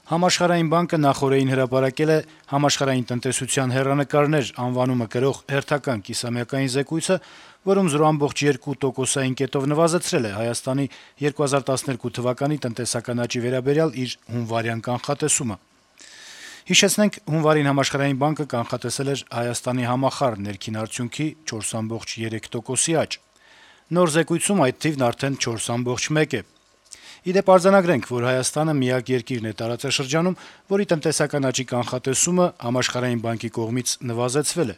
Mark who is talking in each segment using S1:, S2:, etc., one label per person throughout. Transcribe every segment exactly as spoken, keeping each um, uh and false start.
S1: Համաշխարհային բանկը նախօրեին հրապարակել է «Համաշխարհային տնտեսության հեռանկարներ» անվանումը կրող հերթական կիսամյակային զեկույցը, որում զրո ամբողջ երկու տոկոսային կետով նվազեցրել է Հայաստանի երկու հազար տասներկու թվականի տնտեսական աճի վերաբերյալ իր հունվարյան կանխատեսումը: Հիշեցնենք, հունվարին Համաշխարհային բանկը կանխատեսել էր Հայաստանի համախառն ներքին արդյունքի չորս բացառիկ երեք տոկոսի աճ: Նոր զեկույցում այդ թիվն արդեն չորս բացառիկ մեկ է: Ի դեպ, արձանագրենք, որ Հայաստանը միակ երկիրն է տարածաշրջանում, որի տնտեսական աճի կանխատեսումը Համաշխարհային բանկի կողմից նվազեցվել է: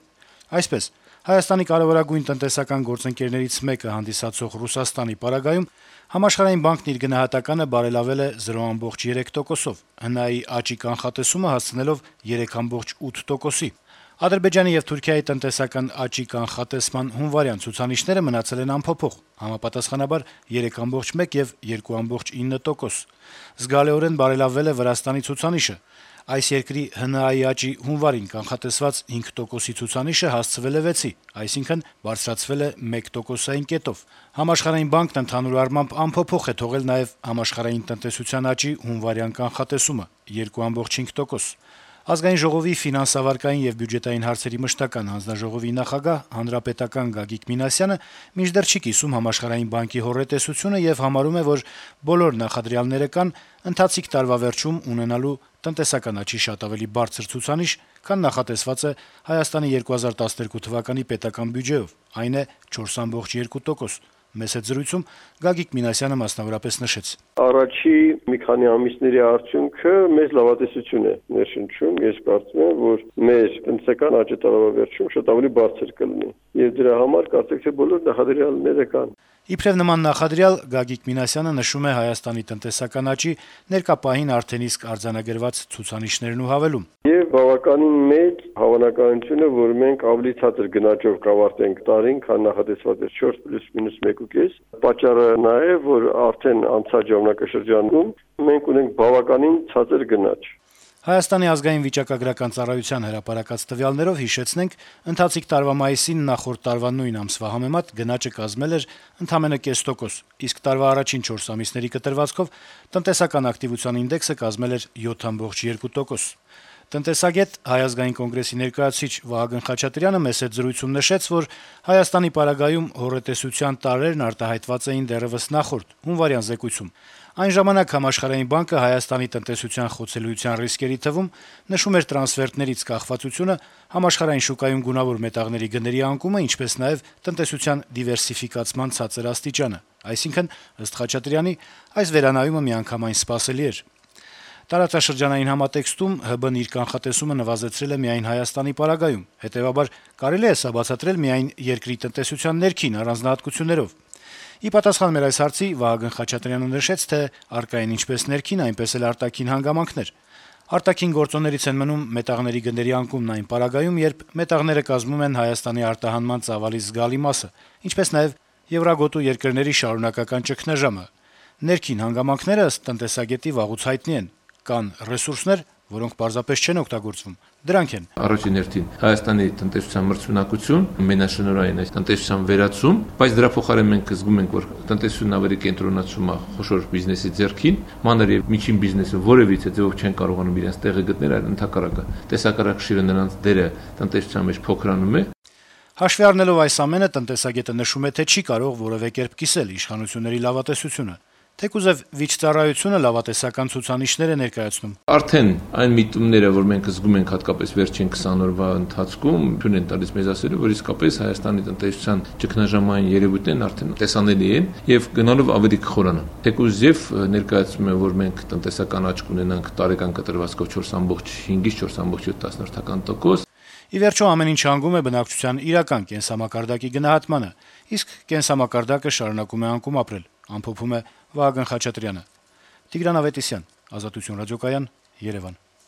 S1: Այսպես, Հայաստանի կարեւորագույն տնտեսական գործընկերներից մեկը հանդիսացող Ռուսաստանի պարագայում Համաշխարհային բանկն իր գնահատականը բարելավել է զրո ամբողջ երեք տոկոսով, ՀՆԱ-ի աճի կանխատեսումը հասցնելով երեք բացառիկ ութ տոկոսի: Ադրբեջանի եւ Թուրքիայի տնտեսական աճի կանխատեսման հունվարյան ցուցանիշները մնացել են անփոփոխ, համապատասխանաբար երեք բացառիկ մեկ եւ երկու բացառիկ ինը տոկոս: Զգալիորեն բարելավվել է Վրաստանի ցուցանիշը: Այս երկրի ՀՆԱ-ի աճի հունվարին կանխատեսված հինգ տոկոսի ցուցանիշը հասցվել է վեցի, այսինքն բարձրացվել է մեկ տոկոսային կետով: Համաշխարհային բանկն ընդհանուր առմամբ անփոփոխ է թողել նաեւ համաշխարհային տնտեսության աճի հունվարյան կանխատեսումը՝ երկու բացառիկ հինգ տոկոս: Ազգային ժողովի ֆինանսավարկային եւ բյուջետային հարցերի մշտական հանձնաժողովի նախագահ, հանրապետական Գագիկ Մինասյանը մինչդեռ չի կիսում Համաշխարհային բանկի հոռետեսությունը եւ համարում է, որ բոլոր նախադրյալները կան ընթացիկ տարվա վերջում ունենալու տնտեսական աճի շատ ավելի բարձր ցուցանիշ, քան նախատեսված է Հայաստանի երկու հազար տասներկու թվականի պետական բյուջեով, այն է չորս բացառիկ երկու տոկոս: Մեծ հետ զրույցում Գագիկ Մինասյանը մասնավորապես նշեց.
S2: Առաջի մի քանի ամիսների արդյունքը մեծ լավատեսություն է ներշնչում: Ես կարծում եմ, որ մեր տնտեսական աճը տարվա վերջում շատ ավելի բարձր կլինի եւ դրա համար կարծեք թե բոլոր նախադրյալները կան:
S1: Իբրեւ նման նախադրյալ Գագիկ Մինասյանը նշում է Հայաստանի տնտեսական աճի ներկա պահին արդեն իսկ արձանագրված ցուցանիշներն ու հավելում.
S2: Եվ բավականին մեծ հավանականություն է, որ մենք ավելի ցածր գնաճով կավարտենք տարին, քան նախատեսված էր չորս պլյուս մինուս մեկ ու կես: Պատճառը նա է, որ արդեն անցած ժամանակաշրջանում մենք ունենք բավականին ցածր գնաճ:
S1: Հայաստանի ազգային վիճակագրական ծառայության հրապարակած տվյալներով, հիշեցնենք, ընթացիկ տարվա մայիսին նախորդ տարվա նույն ամսվա համեմատ գնաճը կազմել էր ընդամենը կես տոկոս, իսկ տարվա առաջին չորս ամիսների կտրվածքով տնտեսական ակտիվության ինդեքսը կազմել էր յոթ բացառիկ երկու տոկոս: Տնտեսագետ, Հայ ազգային կոնգրեսի ներկայացուցիչ Վահագն Խաչատրյանը մեծ հետ զրույցում նշեց, որ Հայաստանի պարագայում հոռետեսության տարրերն արտահայտված էին դեռեւս նախորդ՝ հունվարյան զեկույցում: Այն ժամանակ Համաշխարհային բանկը Հայաստանի տնտեսության խոցելիության ռիսկերի թվում նշում էր տրանսֆերտներից կախվածությունը, համաշխարհային շուկայում գունավոր մետաղների գների անկումը, ինչպես նաեւ տնտեսության դիվերսիֆիկացման ցածր աստիճանը: Այսինքն, ըստ Խաչատրյանի, այս վերանայումը միանգամայն սպասելի էր: Տարածաշրջանային համատեքստում ՀԲ-ն իր կանխատեսումը նվազեցրել է միայն Հայաստանի պարագայում, հետեւաբար կարելի է սա բացատրել միայն երկրի տնտեսության ներքին առանձնահատկություններով: Ի պատասխան մեր այս հարցի Վահագն Խաչատրյանը նշեց, թե առկա են ինչպես ներքին, այնպես էլ արտաքին հանգամանքներ: Արտաքին գործոններից են մնում մետաղների գների անկումն այն պարագայում, երբ մետաղները կազմում են Հայաստանի արտահանման ծավալի զգալի մասը, ինչպես նաեւ եվրագոտու երկրների շարունակական ճգնաժամը: Ներքին հանգամանքները, ըստ տնտեսագետի, վաղուց հայտնի են: Կան ռեսուրսներ, որոնք պարզապես չեն օգտագործվում: Դրանք են.
S3: Առաջին հերթին Հայաստանի տնտեսության մրցունակություն, մենաշնորհային այս տնտեսության վերացում, բայց դրա փոխարեն մենք զգում ենք, որ տնտեսությունն ավելի կենտրոնացում է խոշոր բիզնեսի ձեռքին, մանր եւ միջին բիզնեսը որեւիցե ձեւով չեն կարողանում իրենց տեղը գտնել, այլ ընդհակառակը տեսակարակշիռը նրանց դերը տնտեսության մեջ փոքրանում է:
S1: Հաշվի առնելով այս ամենը, տնտեսագետը նշում է, թե չի կարող որեւէ կերպ կիսել իշխանությունների լավատեսությունը, թեկուզեւ վիճծառայությունը լավատեսական ցուցանիշներ է ներկայացնում:
S3: Արդեն այն միտումները, որ մենք զգում ենք հատկապես վերջին քսան օրվա ընթացքում, թույլ են տալիս մեզ ասելու, որ իսկապես Հայաստանի տնտեսության ճգնաժամային երեւույթներն արդեն տեսանելի են եւ գնալով ավելի կխորանան: Թեկուզեւ ներկայացվում է, որ մենք տնտեսական աճ կունենանք տարեկան կտրվածքով չորս բացառիկ հինգից չորս բացառիկ յոթ տոկոս:
S1: Ի վերջո, ամեն ինչ հանգում է բնակչության իրական կենսամակարդակի գնահատմանը, իսկ կենսամակարդակը շարունակում է անկում ապրել, ամփոփում է Վահագն Խաչատրյանը: Տիգրան Ավետիսյան, Ազատություն ռադիոկայան, Երեւան: